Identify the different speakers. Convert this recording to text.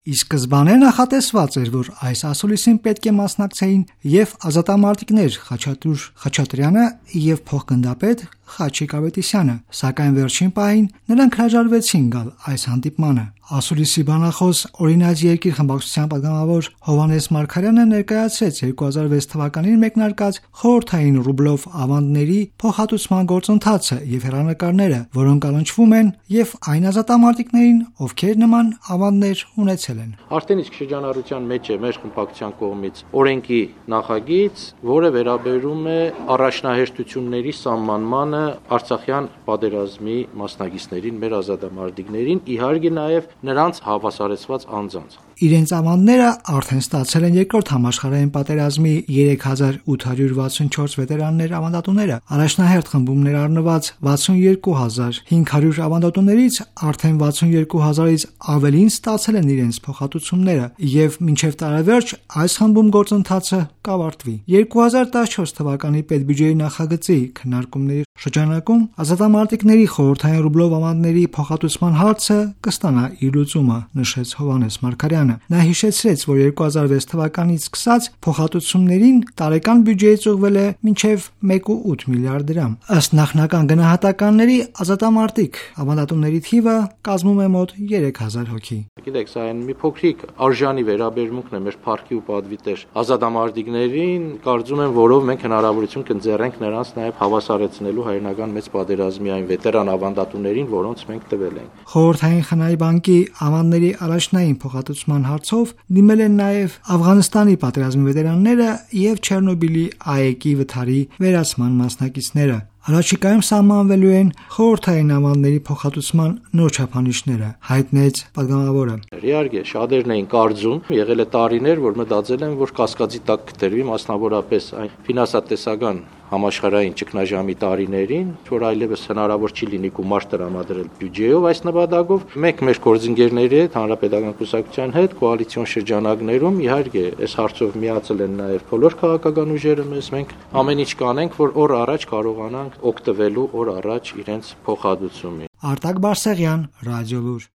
Speaker 1: Ի սկզբանե նախատեսված էր, որ այս ասուլիսին պետք է մասնակցեին եւ ազատամարտիկներ Խաչատուր Խաչատրյանը եւ փոխգնդապետ Խաչիկ Ավետիսյանը, սակայն վերջին պահին նրանք հրաժարվեցին գալ այս հանդիպմանը։ Ասուլիսի բանախոս Օրինաց երկիր խմբակցության պատգամավոր Հովհաննես Մարգարյանը ներկայացրեց 2006 թվականին մեկնարկած խորհրդային ռուբլով ավանդների փոխհատուցման գործընթացը եւ հեռանկարները, որոնք առնչվում են եւ այն ազատամարտիկներին, ովքեր նման ավանդներ ունեցել են։
Speaker 2: Արդեն իսկ շրջանառության մեջ է մեր խմբակցության կողմից օրենքի նախագիծ, որը վերաբերում է առաջնահերթությունների սահմանմանը Արցախյան պատերազմի մասնակիցներին, մեր ազատամարտիկներին, իհարկե նաև նրանց հավասարեցված անձանց։
Speaker 1: Իրենց ավանդները արդեն ստացել են երկրորդ համաշխարհային պատերազմի 3864 վետերաններ ավանդատուները, առաջնահերթ խմբում ներառնված 62500 ավանդատուներից արդեն 62000-ից ավելին ստացել են իրենց փոխհատուցումները եւ մինչեւ տարեվերջ այս խմբում գործընթացը կավարտվի։ 2014 թվականի պետբյուջեի նախագծի քննարկումների շրջանակում ազատամարտիկների խորհրդային ռուբլով ավանդների փոխհատուցման հարցը կստանա իր լուծումը, նշեց Հովհաննես Մարգարյանը։ Նա հիշեցրեց, որ 2006 թվականից սկսած փոխհատուցումներին տարեկան բյուջեից ուղղվել է մինչև 1.8 միլիարդ դրամ։ Ըստ նախնական գնահատականների ազատամարտիկ ավանդատուների թիվը կազմում է մոտ 3000 հոգի։
Speaker 2: Գիտեք, սա այն մի փոքրիկ արժանի վերաբերմունքն է մեր փառքի ու պատվի տեր ազատամարտիկներին, կարծում եմ, որով մենք հնարավորություն կընձեռենք նրանց նաև հավասարեցնելու հայրենական մեծ պատերազմի այն վետերան ավանդատուներին, որոնց մենք տվել ենք։
Speaker 1: Խորհրդային խնայի բանկի ավանդների առաջնային փոխհատուցման հարցով դիմել են նաև Աֆղանստանի պատերազմի վետերանները եւ Չեռնոբիլի ԱԵԿ-ի վթարի վերացման մասնակիցները։ Առաջիկայում սահմանվելու են խորհրդային ավանդների փոխհատուցման նոր չափանիշները, հայտնեց պատգամավորը։
Speaker 2: Իհարկե, շատերն էին կարծում, եղել է տարիներ, որ մտածել են, որ կասկածի տակ կդրվի, մասնավորապես այն ֆինանսատեսական համաշխարհային ճգնաժամի տարիներին, որ այլևս հնարավոր չի լինի գումար տրամադրել բյուջեով այս նպատակով։ Մենք մեր գործընկերների հետ, Հանրապետական կուսակցության հետ, կոալիցիոն շրջանակներում իհարկե այս հարցով միացել են նաև բոլոր քաղաքական ուժերը մեզ։ Մենք ամեն ինչ կանենք, որ օր առաջ կարողանանք օգտվելու օր առաջ իրենց փոխհատուցումից։
Speaker 1: Արտակ Բարսեղյան, Ռադիոլուր։